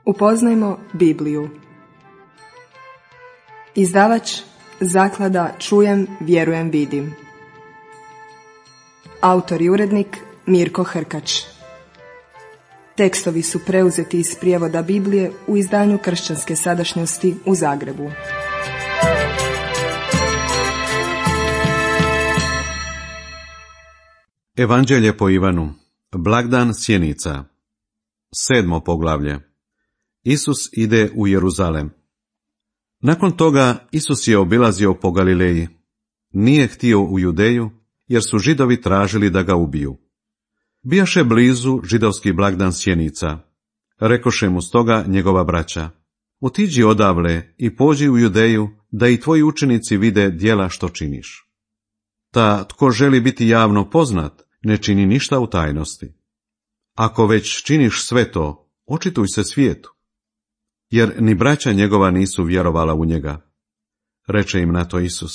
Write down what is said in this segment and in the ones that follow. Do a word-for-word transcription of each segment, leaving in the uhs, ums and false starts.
Upoznajmo Bibliju. Izdavač Zaklada Čujem, vjerujem, vidim. Autor i urednik Mirko Hrkač. Tekstovi su preuzeti iz prijevoda Biblije u izdanju Kršćanske sadašnjosti u Zagrebu. Evanđelje po Ivanu. Blagdan sjenica. Sedmo poglavlje. Isus ide u Jeruzalem. Nakon toga Isus je obilazio po Galileji. Nije htio u Judeju, jer su Židovi tražili da ga ubiju. Bijaše blizu židovski blagdan sjenica. Rekoše mu stoga njegova braća: otiđi odavle i pođi u Judeju, da i tvoji učenici vide djela što činiš. Ta tko želi biti javno poznat, ne čini ništa u tajnosti. Ako već činiš sve to, očituj se svijetu. Jer ni braća njegova nisu vjerovala u njega. Reče im na to Isus: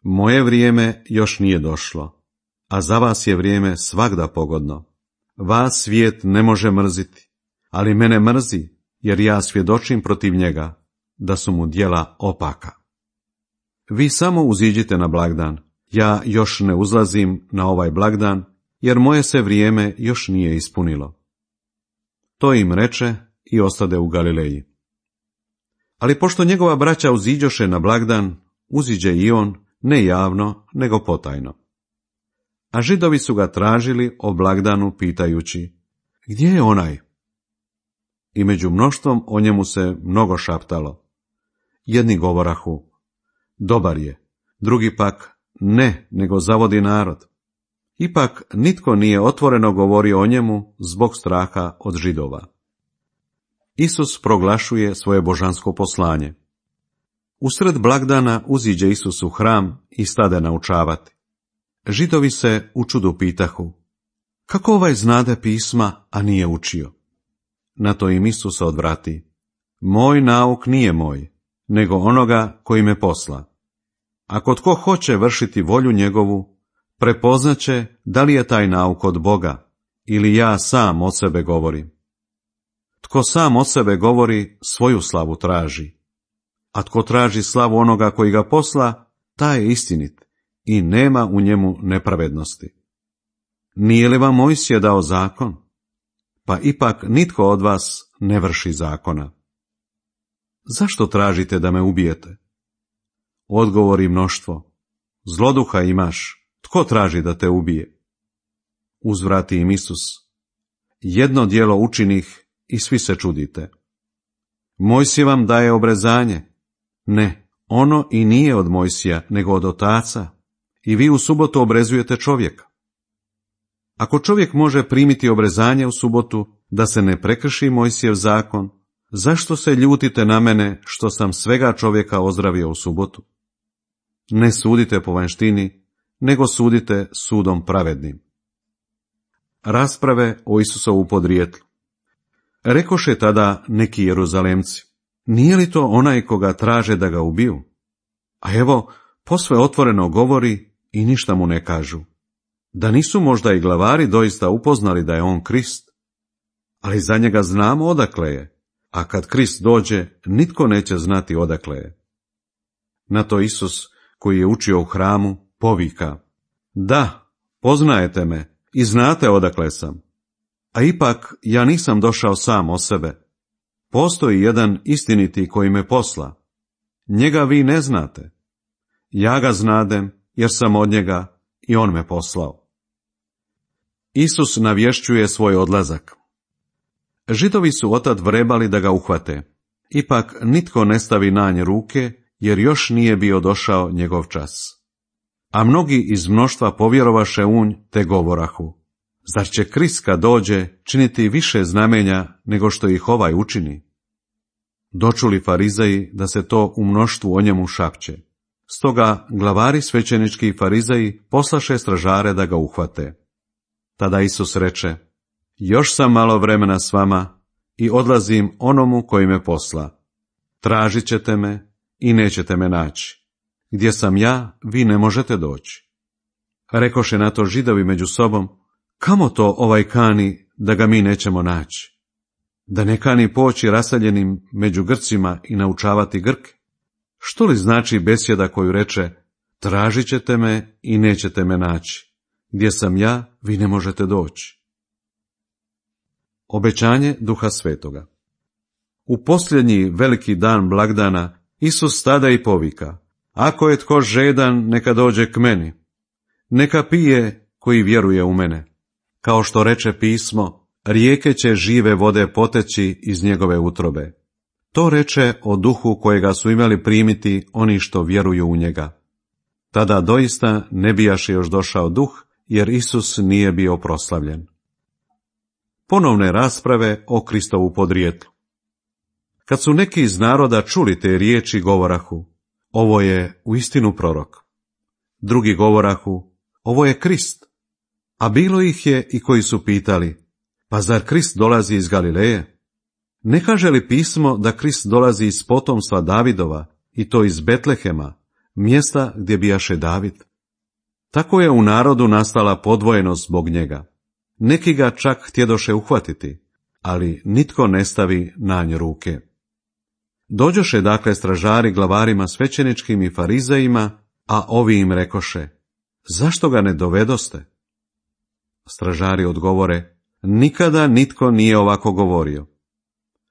moje vrijeme još nije došlo, a za vas je vrijeme svagda pogodno. Vas svijet ne može mrziti, ali mene mrzi, jer ja svjedočim protiv njega, da su mu djela opaka. Vi samo uziđite na blagdan, ja još ne uzlazim na ovaj blagdan, jer moje se vrijeme još nije ispunilo. To im reče i ostade u Galileji. Ali pošto njegova braća uziđoše na blagdan, uziđe i on, ne javno, nego potajno. A Židovi su ga tražili o blagdanu, pitajući: gdje je onaj? I među mnoštvom o njemu se mnogo šaptalo. Jedni govorahu: dobar je, drugi pak: ne, nego zavodi narod. Ipak nitko nije otvoreno govorio o njemu zbog straha od Židova. Isus proglašuje svoje božansko poslanje. Usred blagdana uziđe Isus u hram i stade naučavati. Židovi se u čudu pitahu: kako ovaj znade pisma, a nije učio? Na to im Isus odvrati: moj nauk nije moj, nego onoga koji me posla. Ako tko hoće vršiti volju njegovu, prepoznaće da li je taj nauk od Boga, ili ja sam od sebe govorim. Tko sam od sebe govori, svoju slavu traži, a tko traži slavu onoga koji ga posla, taj je istinit i nema u njemu nepravednosti. Nije li vam Mojsije dao zakon? Pa ipak nitko od vas ne vrši zakona. Zašto tražite da me ubijete? Odgovori mnoštvo: zloduha imaš, tko traži da te ubije? Uzvrati im Isus: jedno djelo učinih i svi se čudite. Mojsije vam daje obrezanje. Ne, ono i nije od Mojsija, nego od otaca. I vi u subotu obrezujete čovjeka. Ako čovjek može primiti obrezanje u subotu, da se ne prekrši Mojsijev zakon, zašto se ljutite na mene što sam svega čovjeka ozdravio u subotu? Ne sudite po vanjštini, nego sudite sudom pravednim. Rasprave o Isusovu podrijetlu. Rekoše tada neki Jeruzalemci: nije li to onaj koga traže da ga ubiju? A evo, posve otvoreno govori i ništa mu ne kažu. Da nisu možda i glavari doista upoznali da je on Krist? Ali za njega znamo odakle je, a kad Krist dođe, nitko neće znati odakle je. Na to Isus, koji je učio u hramu, povika: da, poznajete me i znate odakle sam. A ipak ja nisam došao sam o sebe. Postoji jedan istiniti koji me posla. Njega vi ne znate. Ja ga znadem, jer sam od njega i on me poslao. Isus navješćuje svoj odlazak. Židovi su otad vrebali da ga uhvate. Ipak nitko ne stavi na nje ruke, jer još nije bio došao njegov čas. A mnogi iz mnoštva povjerovaše u nj, te govorahu: zar će Krist kad dođe činiti više znamenja nego što ih ovaj učini? Dočuli farizeji da se to u mnoštvu o njemu šapće. Stoga glavari svećenički i farizeji poslaše stražare da ga uhvate. Tada Isus reče: još sam malo vremena s vama i odlazim onomu koji me posla. Tražit ćete me i nećete me naći. Gdje sam ja, vi ne možete doći. Rekoše na to Židovi među sobom: kamo to ovaj kani da ga mi nećemo naći? Da ne kani poći raseljenim među Grcima i naučavati Grke? Što li znači besjeda koju reče, tražit ćete me i nećete me naći, gdje sam ja, vi ne možete doći? Obećanje Duha Svetoga. U posljednji veliki dan blagdana Isus stada i povika, ako je tko žedan, neka dođe k meni, neka pije koji vjeruje u mene. Kao što reče pismo, rijeke će žive vode poteći iz njegove utrobe. To reče o duhu kojega su imali primiti oni što vjeruju u njega. Tada doista ne bijaše još došao duh, jer Isus nije bio proslavljen. Ponovne rasprave o Kristovu podrijetlu. Kad su neki iz naroda čuli te riječi, govorahu, ovo je uistinu prorok. Drugi govorahu, ovo je Krist. A bilo ih je i koji su pitali, pa zar Krist dolazi iz Galileje? Ne kaže li pismo da Krist dolazi iz potomstva Davidova, i to iz Betlehema, mjesta gdje bijaše David? Tako je u narodu nastala podvojenost zbog njega. Neki ga čak htjedoše uhvatiti, ali nitko ne stavi na nj ruke. Dođoše dakle stražari glavarima svećeničkim i farizejima, a ovi im rekoše, zašto ga ne dovedoste? Stražari odgovore, nikada nitko nije ovako govorio.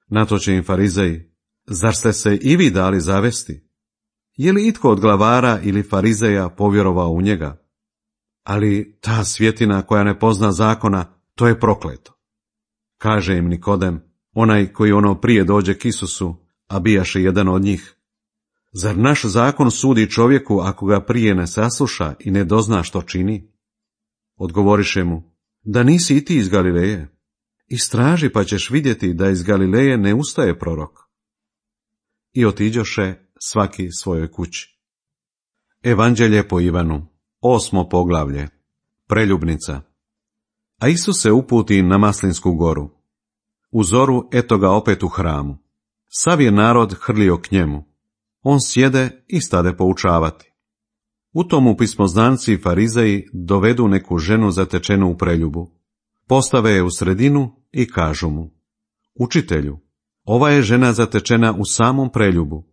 Na to će im farizeji, zar ste se i vi dali zavesti? Je li itko od glavara ili farizeja povjerovao u njega? Ali ta svjetina koja ne pozna zakona, to je prokleto. Kaže im Nikodem, onaj koji ono prije dođe k Isusu, a bijaše jedan od njih. Zar naš zakon sudi čovjeku ako ga prije ne sasluša i ne dozna što čini? Odgovoriše mu, da nisi i ti iz Galileje. Istraži pa ćeš vidjeti da iz Galileje ne ustaje prorok. I otiđoše svaki svojoj kući. Evanđelje po Ivanu, osmo poglavlje, preljubnica. A Isus se uputi na Maslinsku goru. U zoru eto ga opet u hramu. Sav je narod hrlio k njemu. On sjede i stade poučavati. U tomu pismoznanci i farizeji dovedu neku ženu zatečenu u preljubu. Postave je u sredinu i kažu mu, učitelju, ova je žena zatečena u samom preljubu.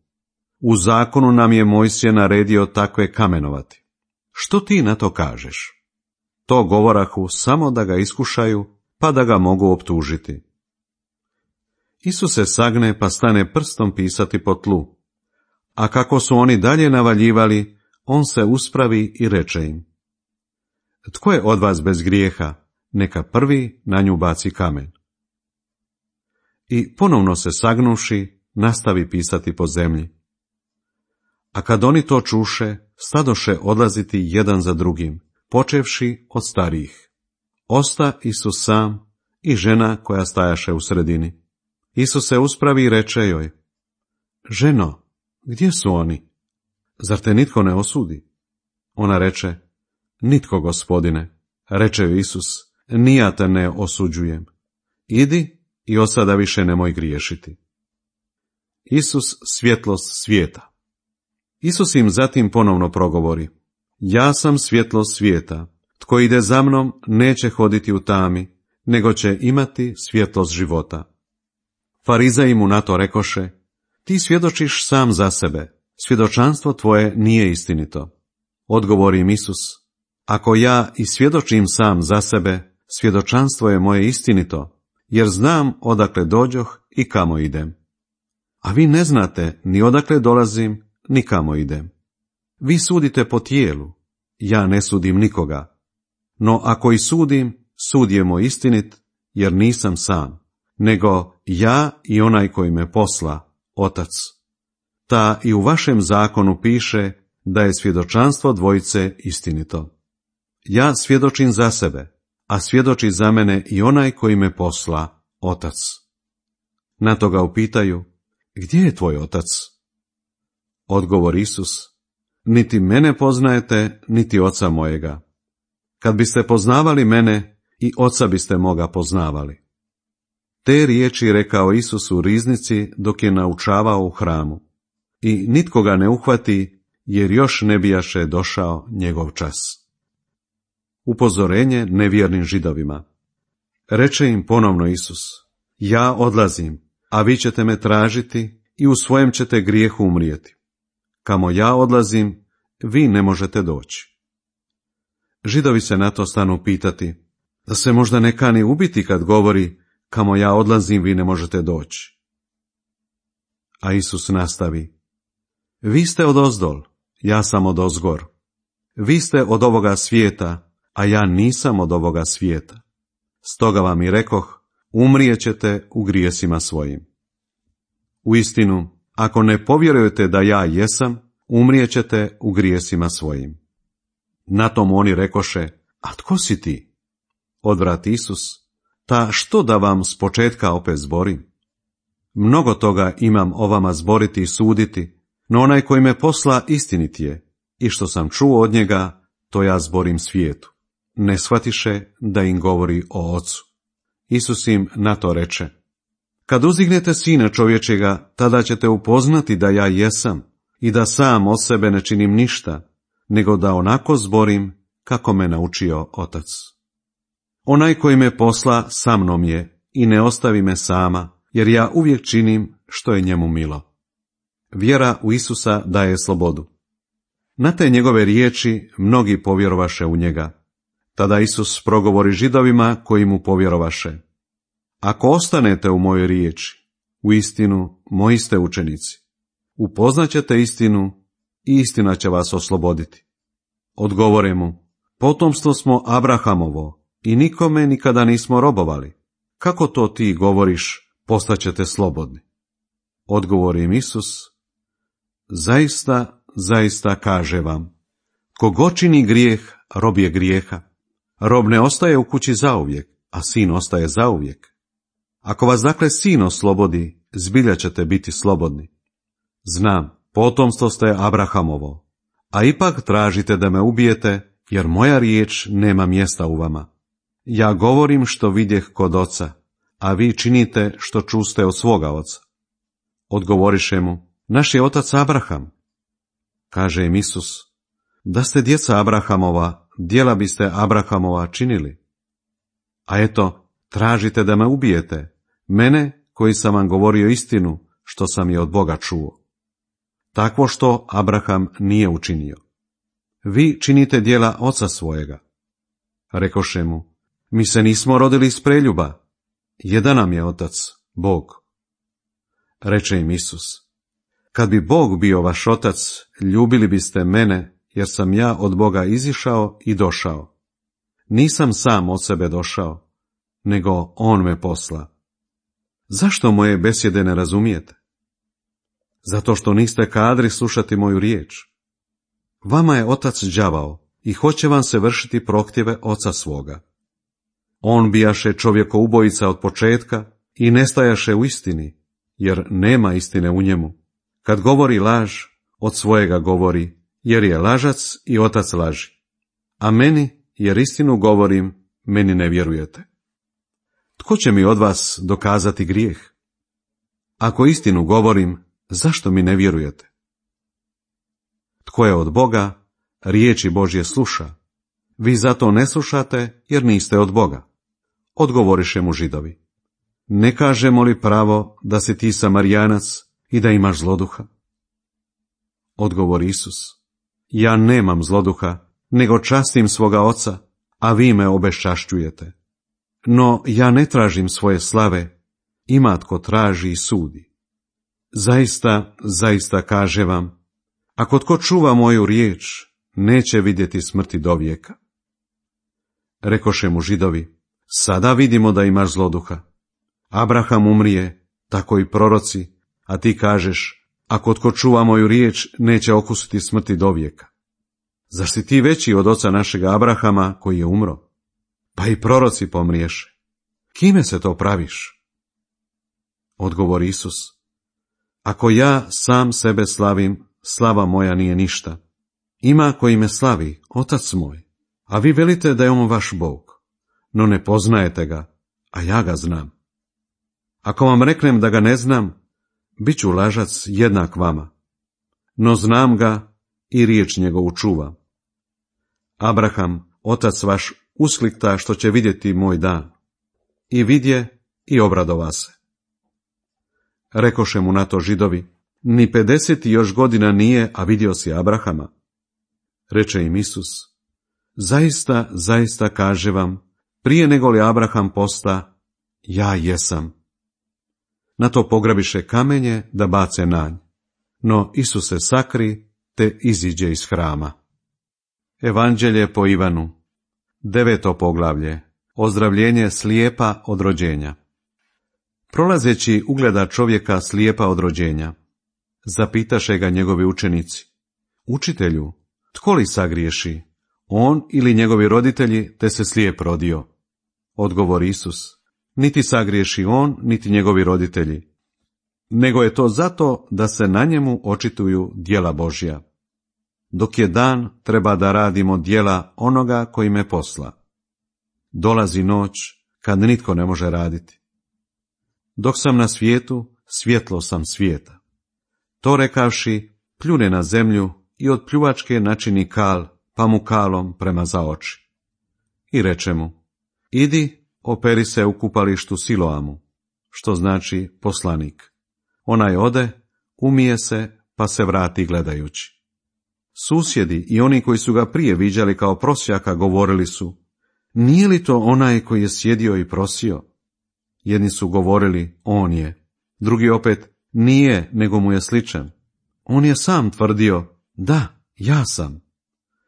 U zakonu nam je Mojsije naredio takve kamenovati. Što ti na to kažeš? To govorahu samo da ga iskušaju, pa da ga mogu optužiti. Isus se sagne pa stane prstom pisati po tlu. A kako su oni dalje navaljivali, on se uspravi i reče im, tko je od vas bez grijeha, neka prvi na nju baci kamen. I ponovno se sagnuši, nastavi pisati po zemlji. A kad oni to čuše, stadoše odlaziti jedan za drugim, počevši od starijih. Osta Isus sam i žena koja stajaše u sredini. Isus se uspravi i reče joj, ženo, gdje su oni? Zar te nitko ne osudi? Ona reče, nitko, gospodine. Reče joj Isus, ni ja te ne osuđujem. Idi i od sada više nemoj griješiti. Isus svjetlost svijeta. Isus im zatim ponovno progovori, ja sam svjetlost svijeta, tko ide za mnom neće hoditi u tami, nego će imati svjetlost života. Farizeji mu na to rekoše, ti svjedočiš sam za sebe, svjedočanstvo tvoje nije istinito. Odgovori im Isus, ako ja i svjedočim sam za sebe, svjedočanstvo je moje istinito, jer znam odakle dođoh i kamo idem. A vi ne znate ni odakle dolazim, ni kamo idem. Vi sudite po tijelu, ja ne sudim nikoga. No ako i sudim, sud je moj istinit, jer nisam sam, nego ja i onaj koji me posla, Otac. Ta i u vašem zakonu piše da je svjedočanstvo dvojice istinito. Ja svjedočim za sebe, a svjedoči za mene i onaj koji me posla, Otac. Na to ga upitaju, gdje je tvoj Otac? Odgovor Isus, niti mene poznajete, niti Oca mojega. Kad biste poznavali mene, i Oca biste moga poznavali. Te riječi rekao Isus u riznici dok je naučavao u hramu. I nitko ga ne uhvati, jer još ne bijaše došao njegov čas. Upozorenje nevjernim Židovima. Reče im ponovno Isus, ja odlazim, a vi ćete me tražiti i u svojem ćete grijehu umrijeti. Kamo ja odlazim, vi ne možete doći. Židovi se na to stanu pitati, da se možda ne kani ubiti kad govori, kamo ja odlazim, vi ne možete doći. A Isus nastavi, vi ste odozdol, ja sam odozgor. Vi ste od ovoga svijeta, a ja nisam od ovoga svijeta. Stoga vam i rekoh, umrijećete u grijesima svojim. Uistinu, ako ne povjerujete da ja jesam, umrijećete u grijesima svojim. Na tom oni rekoše, a tko si ti? Odvrati Isus, ta što da vam s početka opet zborim? Mnogo toga imam o vama zboriti i suditi, no onaj koji me posla istinit je, i što sam čuo od njega, to ja zborim svijetu. Ne shvatiše da im govori o Ocu. Isus im na to reče, kad uzignete Sina čovječega, tada ćete upoznati da ja jesam i da sam od sebe ne činim ništa, nego da onako zborim kako me naučio Otac. Onaj koji me posla sa mnom je i ne ostavi me sama, jer ja uvijek činim što je njemu milo. Vjera u Isusa daje slobodu. Na te njegove riječi mnogi povjerovaše u njega. Tada Isus progovori Židovima koji mu povjerovaše. Ako ostanete u mojoj riječi, u istinu moji ste učenici. Upoznaćete istinu i istina će vas osloboditi. Odgovore mu, potomstvo smo Abrahamovo i nikome nikada nismo robovali. Kako to ti govoriš, postaćete slobodni? Odgovori im Isus, zaista, zaista kaže vam, ko god čini grijeh, rob je grijeha. Rob ne ostaje u kući zauvijek, a sin ostaje zauvijek. Ako vas dakle sin oslobodi, zbilja ćete biti slobodni. Znam, potomstvo ste Abrahamovo, a ipak tražite da me ubijete, jer moja riječ nema mjesta u vama. Ja govorim što vidjeh kod oca, a vi činite što čuste od svoga oca. Odgovoriše mu, naš je otac Abraham. Kaže im Isus, da ste djeca Abrahamova, djela biste Abrahamova činili. A eto, tražite da me ubijete, mene koji sam vam govorio istinu, što sam je od Boga čuo. Takvo što Abraham nije učinio. Vi činite djela oca svojega. Rekoše mu, mi se nismo rodili iz preljuba, jedan nam je otac, Bog. Reče im Isus, kad bi Bog bio vaš otac, ljubili biste mene, jer sam ja od Boga izišao i došao. Nisam sam od sebe došao, nego on me posla. Zašto moje besjede ne razumijete? Zato što niste kadri slušati moju riječ. Vama je otac đavao i hoće vam se vršiti prohtjeve oca svoga. On bijaše čovjekoubojica od početka i nestajaše u istini, jer nema istine u njemu. Kad govori laž, od svojega govori, jer je lažac i otac laži. A meni, jer istinu govorim, meni ne vjerujete. Tko će mi od vas dokazati grijeh? Ako istinu govorim, zašto mi ne vjerujete? Tko je od Boga, riječi Božje sluša. Vi zato ne slušate, jer niste od Boga. Odgovoriše mu Židovi. Ne kažemo li pravo da si ti Samarijanac i da imaš zloduha? Odgovori Isus. Ja nemam zloduha, nego častim svoga oca, a vi me obeščašćujete. No ja ne tražim svoje slave, ima tko traži i sudi. Zaista, zaista kaže vam, ako tko čuva moju riječ, neće vidjeti smrti dovijeka. Rekoše mu Židovi, sada vidimo da imaš zloduha. Abraham umrije, tako i proroci, a ti kažeš, ako tko čuva moju riječ, neće okusiti smrti dovijeka. Zar si ti veći od oca našega Abrahama koji je umro? Pa i proroci pomriješe. Kime se to praviš? Odgovori Isus. Ako ja sam sebe slavim, slava moja nije ništa. Ima koji me slavi, otac moj, a vi velite da je on vaš Bog, no ne poznajete ga, a ja ga znam. Ako vam reknem da ga ne znam, bit ću lažac jednak vama, no znam ga i riječ njegovu čuvam. Abraham, otac vaš, usklikta što će vidjeti moj dan. I vidje, i obradova se. Rekoše mu na to Židovi, ni pedeset još godina nije, a vidio si Abrahama. Reče im Isus, zaista, zaista kaže vam, prije nego li Abraham posta, ja jesam. Na to pograbiše kamenje da bace nanj, no Isus se sakri, te iziđe iz hrama. Evanđelje po Ivanu, deveto poglavlje, ozdravljenje slijepa od rođenja. Prolazeći ugleda čovjeka slijepa od rođenja. Zapitaše ga njegovi učenici, učitelju, tko li sagriješi, on ili njegovi roditelji, te se slijep rodio? Odgovori Isus, niti sagriješi on, niti njegovi roditelji, nego je to zato da se na njemu očituju djela Božja. Dok je dan, treba da radimo djela onoga koji me posla. Dolazi noć, kad nitko ne može raditi. Dok sam na svijetu, svjetlo sam svijeta. To rekavši, pljune na zemlju i od pljuvačke načini kal, pa mu kalom premaza oči. I reče mu, idi, operi se u kupalištu Siloamu, što znači poslanik. Onaj ode, umije se, pa se vrati gledajući. Susjedi i oni koji su ga prije viđali kao prosjaka govorili su, nije li to onaj koji je sjedio i prosio? Jedni su govorili, on je, drugi opet, nije, nego mu je sličan. On je sam tvrdio, da, ja sam.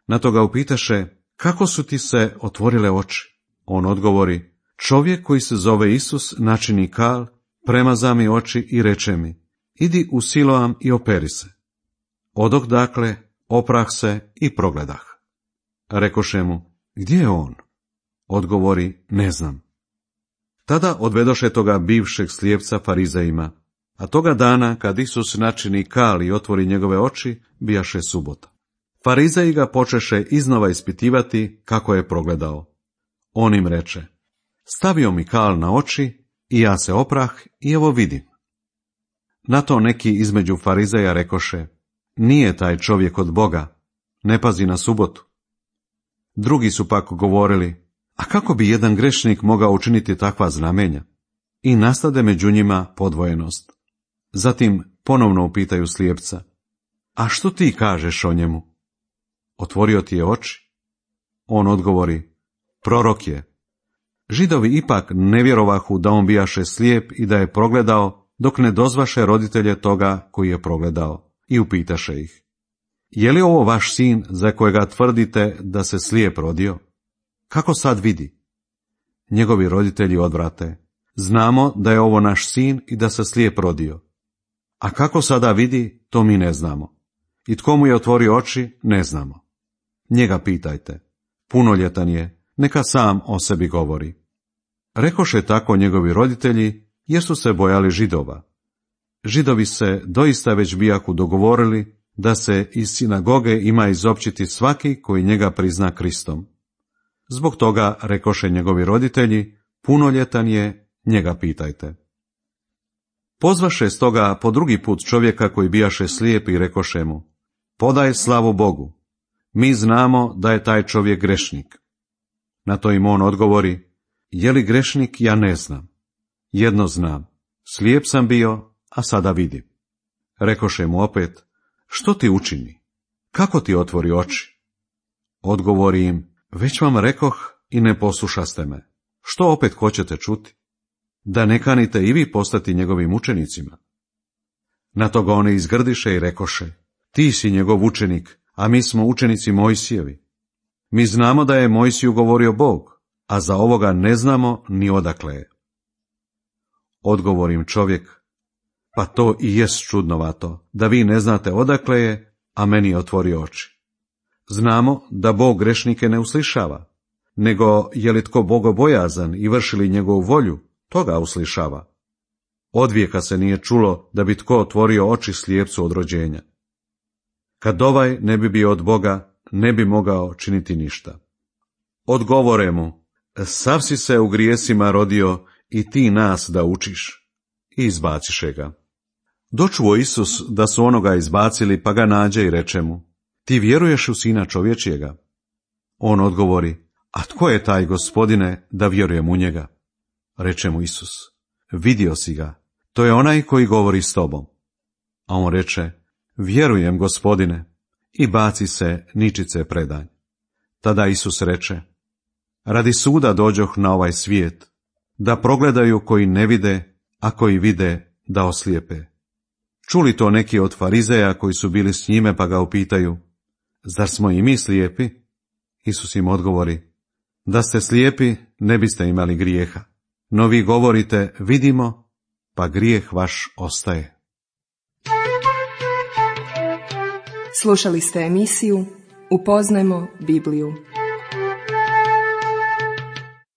Na to ga upitaše, kako su ti se otvorile oči? On odgovori, čovjek koji se zove Isus načini kal, premaza mi oči i reče mi, idi u Siloam i operi se. Odok dakle, oprah se i progledah. Rekoše mu, gdje je on? Odgovori, ne znam. Tada odvedoše toga bivšeg slijepca farizejima, a toga dana, kad Isus načini kal i otvori njegove oči, bijaše subota. Farizeji ga počeše iznova ispitivati kako je progledao. On im reče, stavio mi kal na oči i ja se oprah i evo vidim. Na to neki između farizeja rekoše, nije taj čovjek od Boga, ne pazi na subotu. Drugi su pak govorili, a kako bi jedan grešnik mogao učiniti takva znamenja? I nastade među njima podvojenost. Zatim ponovno upitaju slijepca, a što ti kažeš o njemu? Otvorio ti je oči? On odgovori, prorok je. Židovi ipak ne vjerovahu da on bijaše slijep i da je progledao, dok ne dozvaše roditelje toga koji je progledao, i upitaše ih, je li ovo vaš sin za kojega tvrdite da se slijep rodio? Kako sad vidi? Njegovi roditelji odvrate, znamo da je ovo naš sin i da se slijep rodio. A kako sada vidi, to mi ne znamo. I tko mu je otvorio oči, ne znamo. Njega pitajte, punoljetan je, neka sam o sebi govori. Rekoše tako njegovi roditelji, jer su se bojali Židova. Židovi se doista već bijaku dogovorili da se iz sinagoge ima izopćiti svaki koji njega prizna Kristom. Zbog toga rekoše njegovi roditelji, punoljetan je, njega pitajte. Pozvaše stoga po drugi put čovjeka koji bijaše slijep i rekoše mu, podaj slavu Bogu, mi znamo da je taj čovjek grešnik. Na to im on odgovori, je li grešnik, ja ne znam. Jedno znam, slijep sam bio, a sada vidim. Rekoše mu opet, što ti učini? Kako ti otvori oči? Odgovori im, već vam rekoh i ne poslušaste me. Što opet hoćete čuti? Da ne kanite i vi postati njegovim učenicima? Na to ga oni izgrdiše i rekoše, ti si njegov učenik, a mi smo učenici Mojsijevi. Mi znamo da je Mojsiju govorio Bog, a za ovoga ne znamo ni odakle je. Odgovorim čovjek, pa to i jest čudnovato, da vi ne znate odakle je, a meni otvori oči. Znamo da Bog grešnike ne uslišava, nego je li tko bogobojazan i vrši li njegovu volju, toga uslišava. Odvijeka se nije čulo da bi tko otvorio oči slijepcu od rođenja. Kad ovaj ne bi bio od Boga, ne bi mogao činiti ništa. Odgovore mu, sav si se u grijesima rodio i ti nas da učiš. I izbaciše ga. Dočuo Isus da su onoga izbacili, pa ga nađe i reče mu, ti vjeruješ u Sina čovječjega? On odgovori, a tko je taj Gospodine da vjerujem u njega? Reče mu Isus, vidio si ga, to je onaj koji govori s tobom. A on reče, vjerujem, Gospodine, i baci se ničice predanj. Tada Isus reče, radi suda dođoh na ovaj svijet, da progledaju koji ne vide, a koji vide da oslijepe. Čuli to neki od farizeja koji su bili s njime, pa ga upitaju, zar smo i mi slijepi? Isus im odgovori, da ste slijepi, ne biste imali grijeha, no vi govorite, vidimo, pa grijeh vaš ostaje. Slušali ste emisiju Upoznajmo Bibliju.